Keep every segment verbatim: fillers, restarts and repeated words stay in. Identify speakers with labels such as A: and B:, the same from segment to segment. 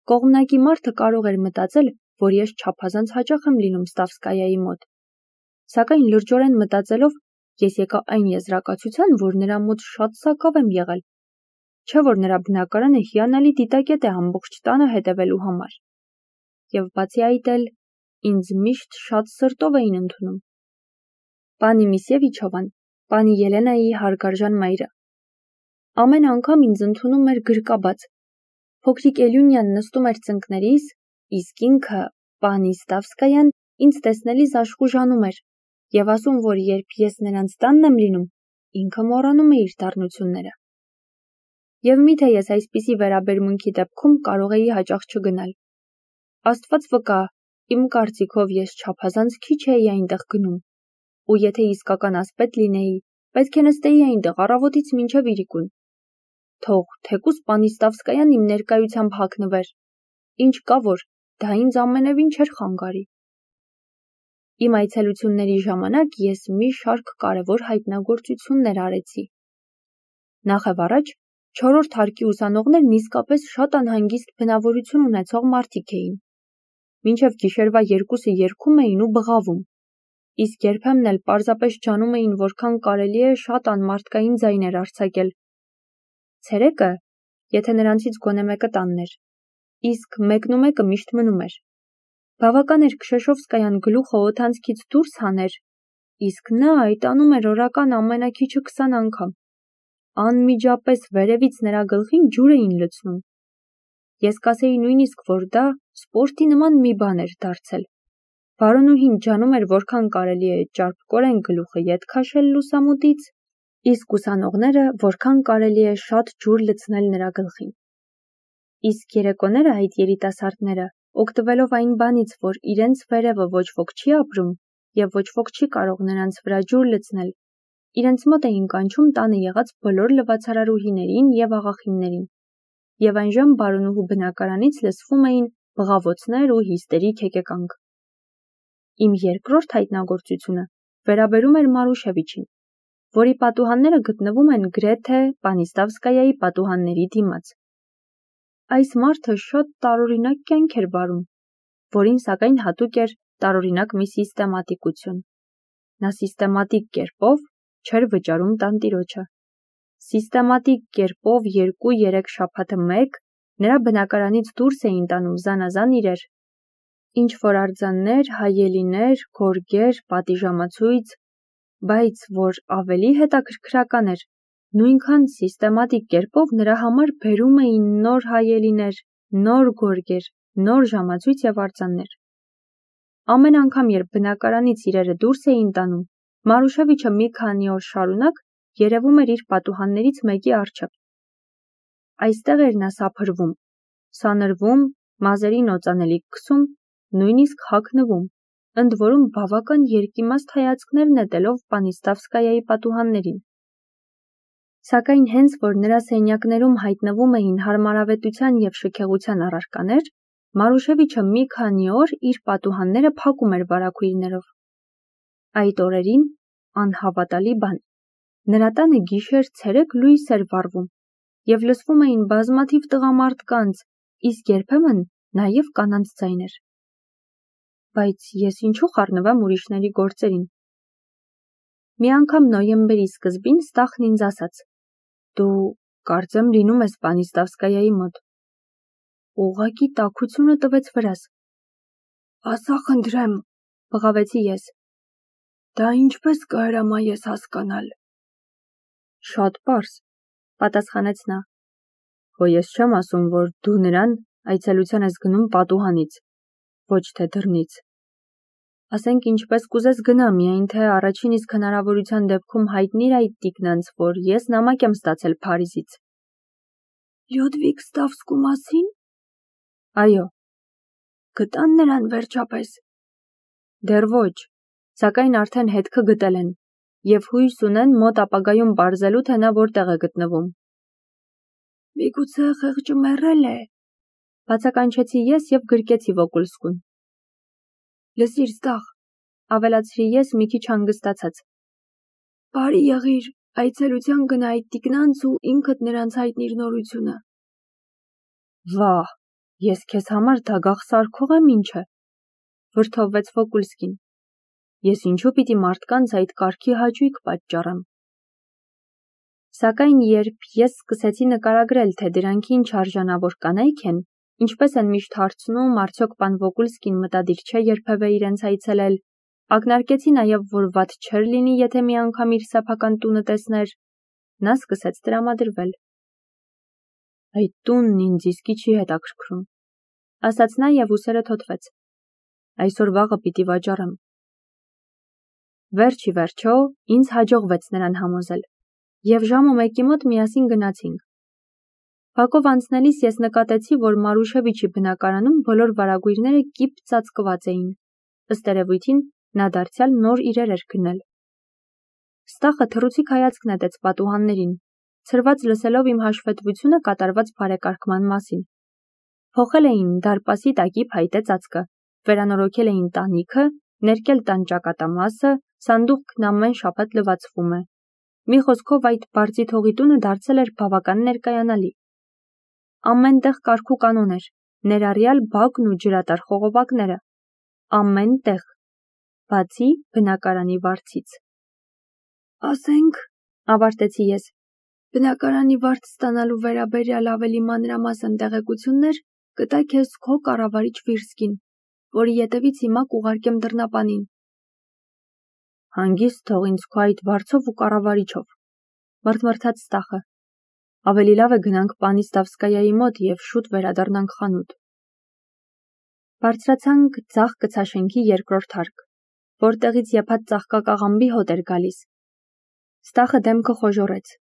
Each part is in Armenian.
A: Կողմնակի մարդը կարող էր մտածել, որ ես չափազանց հաճախ եմ լինում Ստավսկայայի մոտ, սակայն լրջորեն մտածելով, ես եկա այն եզրակացության, որ նրա մոտ շատ սակավ եմ եղել, չէ որ նրա բնակարանը հիանալի դիտակետ է ամբողջ տանը հետևելու համար, և բացի այդ էլ ինձ միշտ շատ սրտով էին ընդունում։ Պանի Միսևիչովան, պանի Ելենայի հարգարժան մայրը, ամեն անգամ ինձ ընդունում էր գրկաբաց, փոքրիկ Էլյունյան նստում էր ծնկներիս, իսկ ինքը, պանի Ստավսկայան, ինձ տեսնելիս աշխուժանում էր և ասում, որ երբ ես նրանց տանն եմ լինում, ինքը մոռանում է իր դառնությունները։ Եվ միթե ես այսպիսի վերաբերմունքի դեպքում կարող էի հաճախ չգնալ։ Աստված վկա, իմ կարծիքով ես չափազանց քիչ էի այնտեղ գնում, ու եթե իսկական ասպետ լինեի, պետք է նստեի այնտեղ առավոտից մինչև իրիկուն։ Թող թեկուզ պանի Ստավսկայան իմ ներկայությամբ հագնվեր, ինչ կա որ, դա ինձ ամենևին չէր խանգարի։ Իմ այցելությունների ժամանակ ես մի շարք կարևոր հայտնագործություններ արեցի։ Նախևառաջ, չորրորդ հարկի ուսանողներն իսկապես շատ անհանգիստ բնավորություն ունեցող մարդիկ էին։ Մինչև գիշերվա երկուսը երգում էին ու բղավում, իսկ երբեմն էլ պարզապես ջանում էին որքան կարելի է շատ անմարդկային ձայներ արձակել։ Ցերեկը, եթե նրանցից գոնե մեկը տանն էր, իսկ մեկն ու մեկը միշտ մնում էր։ Բավական էր Քշեշովսկայան գլուխը օդանցքից դուրս հաներ, իսկ նա այդ անում էր օրական ամենաքիչը քսան անգամ։ Անմիջապես վերևից նրա գլխին ջուր էին լցնում։ Ես կասեի նույնիսկ, որ դա սպորտի նման մի բան էր դարձել։ Բարոնուհին ջանում էր որքան կարելի է ճարպկորեն գլուխը ետ քաշել լուսամուտից, իսկ ուսանողները որքան կարելի է շատ ջուր լցնել նրա գլխին։ Իսկ երեկոները այդ երիտասարդները, օգտվելով այն բանից, որ իրենց վերևը ոչ ոք չի ապրում և ոչ ոք չի կարող նրանց վրա ջուր լցնել, իրենց մոտ էին կանչում տանը եղած բոլոր լվացարարուհիներին և աղախիններին, և այնժամ բարոնուհու բնակարանից լսվում էին բղավոցներ ու հիստերիկ հեկեկանք։ Իմ երկրորդ հայտնագործությունը վերաբերում էր Մարուշևիչին, որի պատուհանները գտնվում են գրեթե պանի Ստավսկայայի պատուհանների դիմաց։ Այս մարդը շատ տարօրինակ կյանք էր վարում, որին սակայն հատուկ էր տարօրինակ մի սիստեմատիկություն։ Նա սիստեմատիկ կերպով չէր վճարում տանտիրոջը։ Սիստեմատիկ կերպով երկու-երեք շաբաթը մեկ նրա բնակարանից դուրս էին տանում զանազան իրեր, ինչ-որ արձաններ, հայելիներ, գորգեր, պատիժամացույց, բայց որ ավելի հետաքրքրական էր, նույնքան սիստեմատիկ կերպով նրա համար բերում էին նոր հայելիներ, նոր գորգեր, նոր ժամացույց և արձաններ։ Ամեն անգամ, երբ բնակարանից իրերը դուրս էին տանում, Մարուշևիչը մի քանի օր շարունակ երևում էր իր պատուհաններից մեկի առջև։ Այստեղ էր նա սափրվում, սանրվում, մազերին օծանելիք քսում, նույնիսկ հագնվում, ընդ որում բավական երկիմաստ հայացքներ նետելով պանի Ստավսկայայի պատուհաններին։ Սակայն հենց որ նրա սենյակներում հայտնվում էին հարմարավետության և շքեղության առարկաներ, Մարուշևիչը մի քանի օր իր պատուհանները փակում էր վարագույրներով։ Այդ օրերին, անհավատալի բան, նրա տանը գիշեր-ցերեկ լույս էր վառվում և լսվում էին բազմաթիվ տղամարդկանց, իսկ երբեմն նաև կանանց ձայներ։ Բայց ես ինչու խառնվեմ ուրիշների գործերին։ Մի անգամ նոյեմբերի սկզբին Ստախն ինձ ասաց. «Դու կարծեմ լինում ես պանի Ստավսկայայի մոտ»։ Ուղղակի տաքությունը տվեց վրաս։ «Ասա խնդրեմ», բղավեցի ես։ «Դա ինչպես կհրամա ես հասկանալ»։ «Շատ պարզ», պատասխանեց նա։ «Հո ես չեմ ասում, որ դու նրան այցելության ես գնում պատուհանից, ոչ թե դռնից։ Ասենք ինչպես կուզես գնա, միայն թե առաջին իսկ հնարավորության դեպքում հայտնիր այդ տիկնանց, որ ես նամակ եմ ստացել Փարիզից»։ «Լյուդվիգ Ստավսկու մասին»։ Այո։ «Գտան նրան վերջապես»։ Դեռ ոչ, սակայն արդեն հետքը գտել են, և հույս ունեն մոտ ապագայում պարզելու, թե նա որտեղ է գտնվում։ «Միգուցե խեղճը մեռել է», բացականչեցի ես և գրկեցի Վոկուլսկուն։ «Լսիր, Ստախ», ավելացրի ես մի քիչ հանգստացած։ «Բարի եղիր, այցելության գնա այդ տիկնանց ու ինքդ նրանց հայտնիր նորությունը»։ Վահ, Ես քեզ համար դագաղ սարքող եմ ինչ է, վրդովվեց Վոկուլսկին։ Ես ինչու պիտի մարդկանց այդ կարգի հաճույք պատճառեմ։ Սակայն երբ ես սկսեցի նկարագրել, թե դրանք ինչ արժանավոր կանայք են, ինչպես են միշտ հարցնում, արդյոք պան Վոկուլսկին մտադիր չէ երբևէ իրենց այցելել, ակնարկեցի նաև, որ վատ չէր լինի, եթե մի անգամ իր սեփական տունը տեսներ, նա սկսեց տրամադրվել։ Այդ տունն ինձ իսկի չի հետաքրքրում, ասաց նա և ուսերը թոթվեց։ Այսօր վաղը պիտի վաճառեմ։ Վերջ ի վերջո ինձ հաջողվեց նրան համոզել, և ժամը մեկի մոտ միասին գնացինք։ Բակով անցնելիս ես նկատեցի, որ Մարուշևիչի բնակարանում բոլոր վարագույրները կիպ ծածկված էին, ըստ երևույթին նա դարձյալ նոր իրեր էր գնել։ Ստախը թռուցիկ հայացք նետեց պատուհաններին, ցրված լսելով իմ հաշվետվությունը կատարված բարեկարգման մասին։ Փոխել էին դարպասի տակի փայտե ծածկը, վերանորոգել էին տանիքը, ներկել տան ճակատամասը, սանդուղքն ամեն շաբաթ լվացվում է։ Մի խոսքով այդ բարձի թողի տունը դարձել էր բավական ներկայանալի։ Ամեն տեղ կարգ ու կանոն էր, ներառյալ բակն ու ջրատար խողովակները։ Ամեն տեղ, բացի բնակարանի վարձից։ Ասենք, ավարտեցի ես, բնակարանի վարձ ստանալու վերաբերյալ ավելի մանրամասն տեղեկություններ կտա քեզ քո կառավարիչ Վիրսկին, որի ետևից հիմա կուղարկեմ դռնապանին։ Հանգիստ թող ինձ քո այդ վարձով ու կառավարիչով, մռթմռթաց Ստախը։ Ավելի լավ է գնանք պանի Ստավսկայայի մոտ և շուտ վերադառնանք խանութ։ Բարձրացանք ձախ կցաշենքի երկրորդ հարկ, որտեղից եփած ծաղկակաղամբի հոտ էր գալիս։ Ստախը դեմքը խոժոռեց։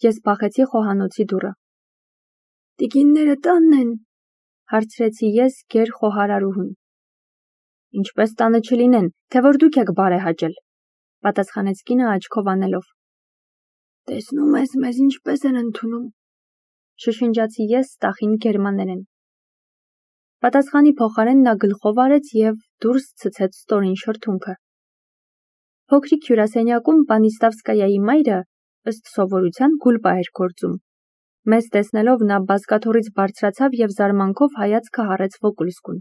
A: Ես բախեցի խոհանոցի դուռը։ Տիկինները տանն են, հարցրեցի ես գեր խոհարարուհուն։ Ինչպես տանը չլինեն, թե որ դուք եք բարեհաճել, պատասխանեց կինը աչքով անելով։ Տեսնում ես, մեզ ինչպես են ընդունում, շշնջացի ես Ստախին գերմաներեն։ Պատասխանի փոխարեն նա գլխով արեց և դուրս ցցեց ստորին շրթունքը։ Փոքրիկ հյուրասենյակում պանի Ստավսկայայի մայրը, ըստ սովորության, գուլպա էր գործում։ Մեզ տեսնելով նա բազկաթոռից բարձրացավ և զարմանքով հայացքը հառեց Վոկուլսկուն։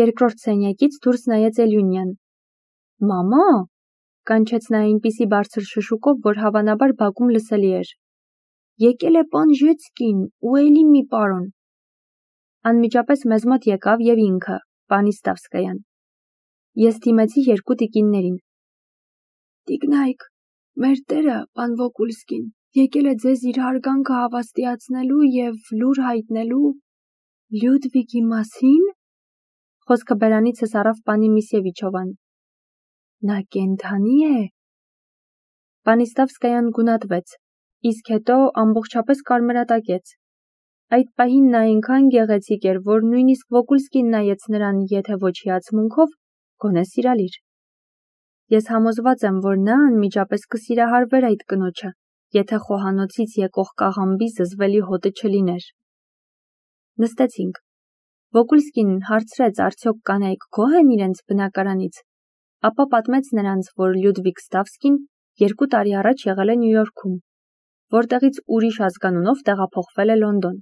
A: Երկրորդ սենյակից դուրս նայեց Էլյունյան։ Մամա, կանչեց նա այնպիսի բարձր շշուկով, որ հավանաբար բակում լսելի էր։ Եկել է պան Ժեցկին ու էլի մի պարոն։ Անմիջապես մեզ մոտ եկավ և ինքը, պանի Ստավսկայան։ Ես դիմեցի երկու տիկիններին։ Տիկնայք, մեր տերը, պան Վոկուլսկին, եկել է ձեզ իր հարգանքը հավաստիացնելու և լուր հայտնելու Լյուդվիգի մասին։ Խոսքը բերանիցս առավ պանի Միսևիչովան։ Նա կենդանի է։ Պանի Ստավսկայան գունատվեց, իսկ հետո ամբողջապես կարմրատակեց։ Այդ պահին նա այնքան գեղեցիկ էր, որ նույնիսկ Վոկուլսկին նայեց նրան, եթե ոչ հիացմունքով, գոնե սիրալիր։ Ես համոզված եմ, որ նա անմիջապես կսիրահարվեր այդ կնոջը, եթե խոհանոցից եկող կաղամբի զզվելի հոտը չլիներ։ Նստեցինք։ Վոկուլսկին հարցրեց, արդյոք կանայք գոհ են իրենց բնակարանից, ապա պատմեց նրանց, որ Լյուդվիգ Ստավսկին երկու տարի առաջ եղել է Նյու Յորքում, որտեղից ուրիշ ազգանունով տեղափոխվել է Լոնդոն։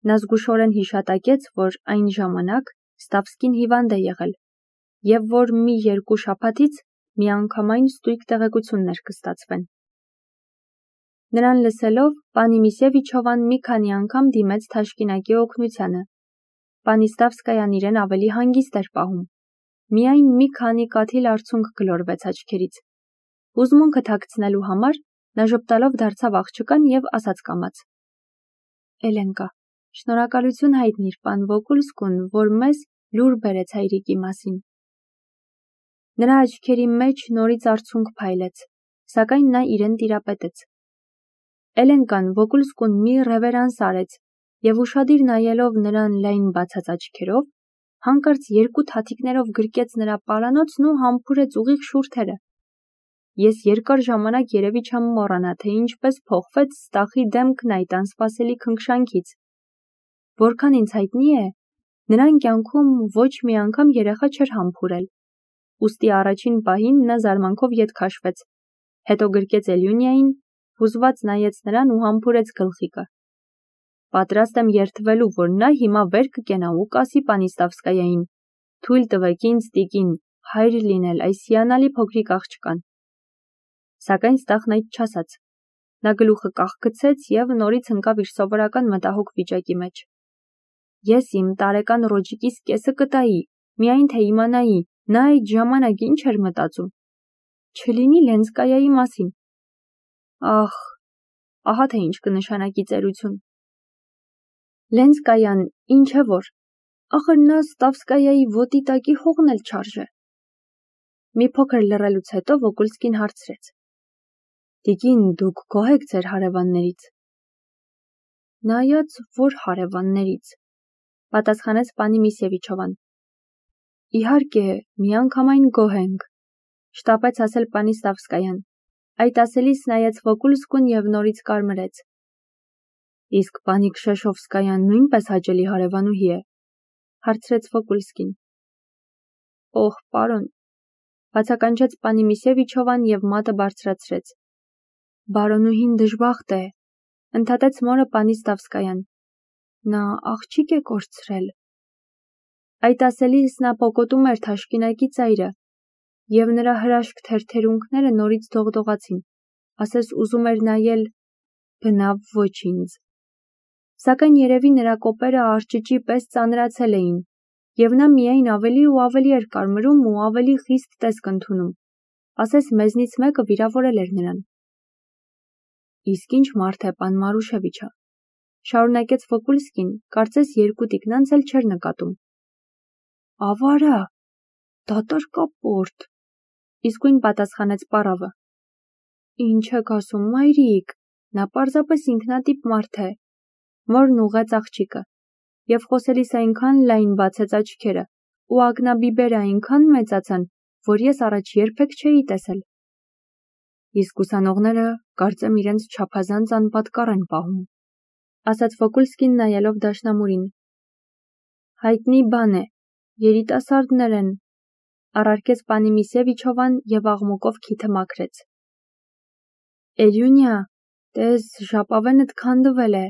A: Նա զգուշորեն հիշատակեց, որ այն ժամանակ Ստավսկին հիվանդ է եղել, և որ մի երկու շաբաթից միանգամայն ստույգ տեղեկություններ կստացվեն։ Նրան լսելով, պանի Միսևիչովան մի քանի անգամ դիմեց թաշկինակի օգնությանը։ Պանի Ստավսկայան իրեն ավելի հանգիստ էր պահում։ Միայն մի քանի կաթիլ արցունք գլորվեց աչքերից։ Հուզմունքը թաքցնելու համար նա ժպտալով դարձավ աղջկան և ասաց կամաց. Էլենկա, շնորհակալություն հայտնիր պան Վոկուլսկուն, որ մեզ լուր բերեց հայրիկի մասին։ Նրա աչքերի մեջ նորից արցունք փայլեց, սակայն նա իրեն տիրապետեց։ Էլենկան Վոկուլսկուն մի ռևերանս արեց և ուշադիր նայելով նրան լայն բացած աչքերով, հանկարծ երկու թաթիկներով գրկեց նրա պարանոցն ու համբուրեց ուղիղ շուրթերը։ Ես երկար ժամանակ երևի չեմ մոռանա, թե ինչպես փոխվեց Ստախի դեմքն այդ անսպասելի քնքշանքից։ Որքան ինձ հայտնի է, նրան կյանքում ոչ մի անգամ երեխա չէր համբուրել։ Ուստի առաջին պահին նա զարմանքով ետ քաշվեց, հետո գրկեց Էլյունիային, հուզված նայեց նրան ու համբուրեց գլխիկը։ պատրաստ եմ երդվելու, որ նա հիմա վեր կկենա ու կասի Պանիստավսկայային. թույլ տվեք ինձ, տիկին, հայր լինել այս հիանալի փոքրիկ աղջկան։ Սակայն Ստախն այդ չասաց։ Նա գլուխը կախգցեց և նորից ընկավ իր սովորական մտահոգ վիճակի մեջ։ Ես իմ տարեկան Ռոջիկիս կեսը կտայի, միայն թե իմանայի, նա այդ ժամանակ ինչ էր մտածում։ Չլինի Լենսկայայի մասին։ Ախ, ահա թե ինչ կնշանակի ծերություն։ Լենսկայան ինչ է որ, ախր նա Ստավսկայայի ոտի տակի հողն էլ չարժե։ Մի փոքր լռելուց հետո Վոկուլսկին հարցրեց. Տիկին, դուք գոհ եք ձեր հարևաններից։ Նայած որ հարևաններից, պատասխանեց պանի Միսևիչովան։ Իհարկե, միանգամայն գոհ ենք, շտապեց ասել Պանիստավսկայան։ Այդ ասելիս նայեց Վոկուլսկուն և նորից կարմրեց։ Իսկ պանի Քշեշովսկայան նույնպես հաճելի հարևանուհի է, հարցրեց Վոկուլսկին։ Օհ, պարոն, բացականչեց պանի Միսևիչովան և մատը բարձրացրեց։ Բարոնուհին դժբախտ է, ընդհատեց մորը Պանիստավսկայան։ Նա աղջիկ է կորցրել։ Այդ ասելիս նա պոկոտում էր թաշկինակի ծայրը, և նրա հրաշք թերթերունքները նորից դողդողացին, ասես ուզում էր նայել բնավ ոչինչ։ Սակայն երևի նրա կոպերը արճճի պես ծանրացել էին, և նա միայն ավելի ու ավելի էր կարմրում ու ավելի խիստ տեսք ընդունում, ասես մեզնից մեկը վիրավորել էր նրան։ Իսկ ինչ մարդ է պան Մարուշևիչը, շարունակեց Վոկուլսկին, կարծես երկու տիկնանց էլ չէր նկատում։ Ավարա, դատարկապորտ, իսկույն պատասխանեց պարավը։ Ինչ եք ասում, մայրիկ, նա պարզապես ինքնատիպ մարդ է, մորն ուղղեց աղջիկը, և խոսելիս այնքան լայն բացեց աչքերը, ու ակնաբիբերը այնքան մեծացան, որ ես առաջ երբեք չէի տեսել։ Իսկ ուսանողները կարծեմ իրենց չափազանց անպատկառ են պահում, ասաց Վոկուլսկին նայելով դաշնամուրին։ Հայտնի բան է, երիտասարդներ են, առարկեց պանի Միսևիչովան և աղմուկով քիթը մաքրեց։ Էլյունյա, տես ժապավենդ քանդվել է,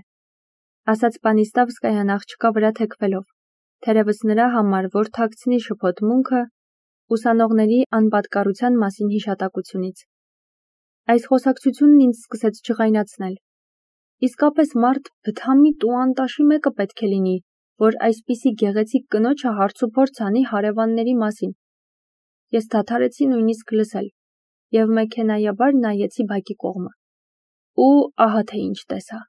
A: ասաց Պանիստավսկայան աղջկա վրա թեքվելով, թերևս նրա համար, որ թաքցնի շփոթմունքը ուսանողների անպատկառության մասին հիշատակությունից։ Այս խոսակցությունն ինձ սկսեց ջղայնացնել։ Իսկապես մարդ բթամիտ ու անտաշի մեկը պետք է լինի, որ այսպիսի գեղեցիկ կնոջը հարցուփորձ անի հարևանների մասին։ Ես դադարեցի նույնիսկ լսել, և մեքենայաբար նայեցի բակի կողմը։ Ու ահա թե ինչ տեսա։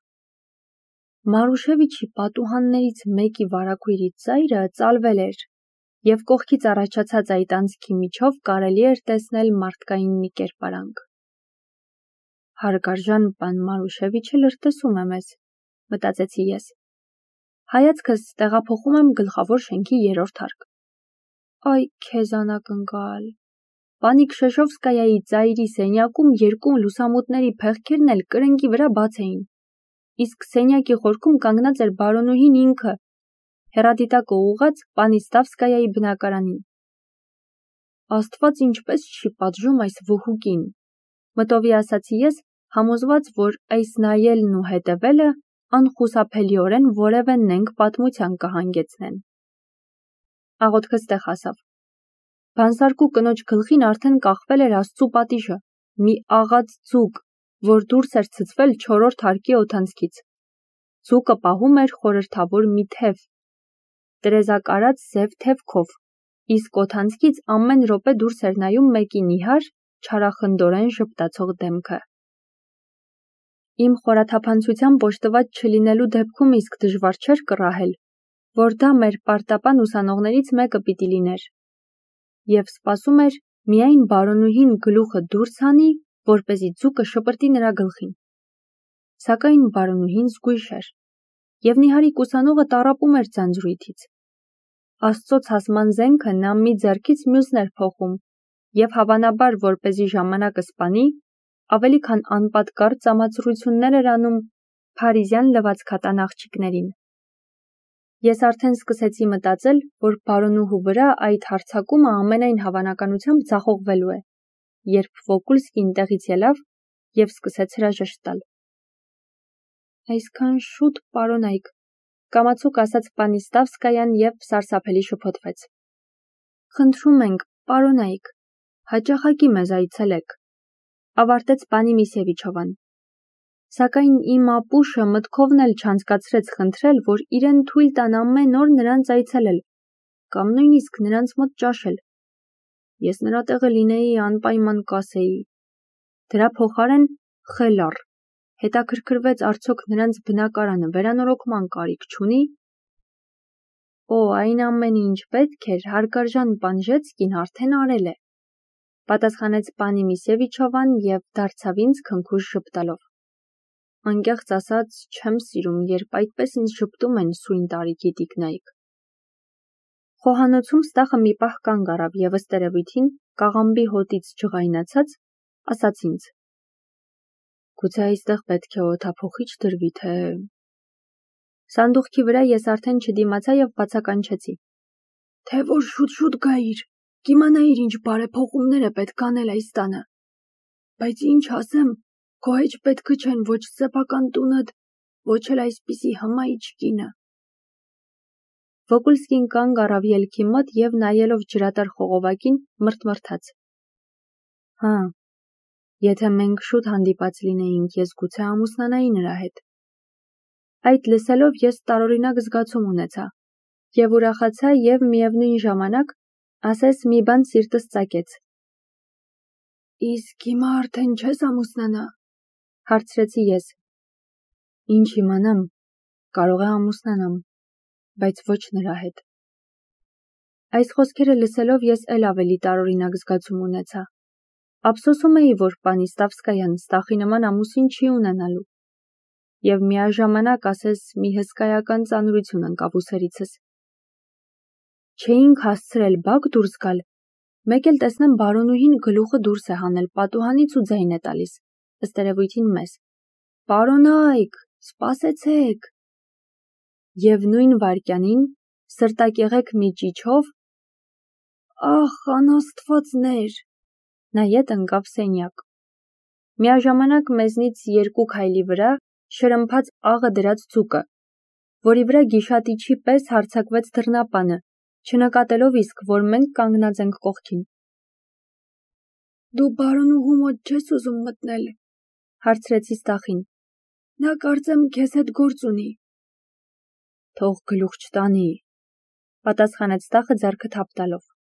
A: Մարուշևիչի պատուհաններից մեկի վարագույրի ծայրը ծալվել էր, և կողքից առաջացած այդ անցքի միջով կարելի էր տեսնել մարդկային մի կերպարանք։ Հարգարժան պան Մարուշևիչը լրտեսում է մեզ, մտածեցի ես։ Հայացքս տեղափոխում եմ գլխավոր շենքի երրորդ հարկ։ Այ քեզ անակնկալ։ Պանի Քշեշովսկայայի ծայրի սենյակում երկու լուսամուտների փեղկերն էլ կրնկի վրա բաց էին, իսկ սենյակի խորքում կանգնած էր բարոնուհին ինքը, հեռադիտակը ուղղած Պանիստավսկայայի բնակարանին։ Աստված ինչպես չի պատժում այս վհուկին, մտովի ասացի ես, համոզված, որ այս նայելն ու հետևելը անխուսափելիորեն որևէ նենգ պատմության կհանգեցնեն։ Աղոթքս տեղ հասավ։ Բանսարկու կնոջ գլխին արդեն կախվել էր Աստծու պատիժը, մի աղաց ձուկ, որ դուրս էր ցցվել չորրորդ հարկի օդանցքից։ Ձուկը պահում էր խորհրդավոր մի թև, տրեզակարած զև թևքով, իսկ օդանցքից ամեն րոպե դուրս էր նայում մեկի նիհար, չարախնդորեն ժպտացող դեմքը։ Իմ խորաթափանցությամբ օժտված չլինելու դեպքում իսկ դժվար չէր կռահել, որ դա մեր պարտապան ուսանողներից մեկը պիտի լիներ, և սպասում էր միայն բարոնուհին գլուխը դուրս հանի, որպեսզի ձուկը շպրտի նրա գլխին։ Սակայն բարոնուհին զգույշ էր, և նիհարիկ ուսանողը տառապում էր ձանձրույթից։ Աստծո ցասման զենքը նա մի ձեռքից մյուսն էր փոխում, և հավանաբար, որպեսզի ժամանակը սպանի, ավելի քան անպատկառ ծամածռություններ էր անում փարիզյան լվացքատան աղջիկներին։ Ես արդեն սկսեցի մտածել, որ բարոնուհու վրա այդ հարձակումը ամենայն հավանականությամբ ձախողվելու է, երբ Վոկուլսկին տեղից ելավ և սկսեց հրաժեշտ տալ։ Այսքան շուտ, պարոնայք, կամացուկ ասաց պանի Ստավսկայան և սարսափելի շփոթվեց։ Խնդրում ենք, պարոնայք, հաճախակի մեզ այցելեք, ավարտեց պանի Միսևիչովան։ Սակայն իմ ապուշը մտքովն էլ չանցկացրեց խնդրել, որ իրեն թույլ տան ամեն օր նրանց այցելել, կամ նույնիսկ նրանց մոտ ճաշել։ Ես նրա տեղը լինեի, անպայման կասեի։ Դրա փոխարեն խելառ, հետաքրքրվեց արդյոք նրանց բնակարանը վերանորոգման կարիք չունի։ Օ, այն ամենը, ինչ պետք էր, հարգարժան Պանժեցկին արդեն արել է, պատասխանեց պանի Միսևիչովան և դարձավ ինձ քնքուշ ժպտալով։ Անկեղծ ասած, չեմ սիրում, երբ այդպես ինձ ժպտում են սույն տարիքի տիկնայք։ Խոհանոցում Ստախը մի պահ կանգ առավ և ըստ երևույթին, կաղամբի հոտից ջղայնացած, ասաց ինձ. Գուցե այստեղ պետք է օդափոխիչ դրվի, թե… Սանդուղքի վրա ես արդեն չդիմացա և բացականչեցի. Թե որ շուտ-շուտ գայիր, կիմանայիր ինչ բարեփոխումներ է պետք անել այս տանը։ Բայց ինչ ասեմ, քո հեչ պետքը չեն ոչ սեփական տունդ, ոչ էլ այսպիսի հմայիչ կինը։ Վոկուլսկին կանգ առավ ելքի մոտ և նայելով ջրատար խողովակին մռթմռթաց. Հա, եթե մենք շուտ հանդիպած լինեինք, ես գուցե ամուսնանայի նրա հետ։ Այդ լսելով ես տարօրինակ զգացում ունեցա և ուրախացա և միևնույն ժամանակ, ասես մի բան սիրտս ծակեց։ Իսկ հիմա արդեն չես ամուսնանա, հարցրեցի ես։ Ինչ իմանամ, կարող է ամուսնանամ, բայց ոչ նրա հետ։ Այս խոսքերը լսելով ես էլ ավելի տարօրինակ զգացում ունեցա։ Ափսոսում էի, որ պանի Ստավսկայան Ստախի նման ամուսին չի ունենալու։ Եվ միաժամանակ ասես մի հսկայական ծանրություն ընկավ ուսերիցս։ Չէինք հասցրել բակ դուրս գալ, մեկ էլ տեսնեմ բարոնուհին գլուխը դուրս է հանել պատուհանից ու ձայն է տալիս, ըստ երևույթին մեզ. Պարոնայք, սպասեցեք։ Եվ նույն վայրկյանին, սրտակեղեք մի ճիչով, ախ, անաստվածներ, նայետ ընկավ սենյակ։ Միաժամանակ մեզնից երկու քայլի վրա շրմփաց աղը դրած ձուկը, որի վրա գիշատիչի պես հարձակվեց դռնապանը, չնկատելով իսկ, որ մենք կանգնած ենք կողքին։ Դու բարոնուհու մոտ չես ուզում մտնել, հարցրեցի Ստախին։ Նա կարծեմ քեզ հետ գործ ունի։ Թող գլուխ չտանի, պատասխանեց Ստախը ձեռքը թափ տալով։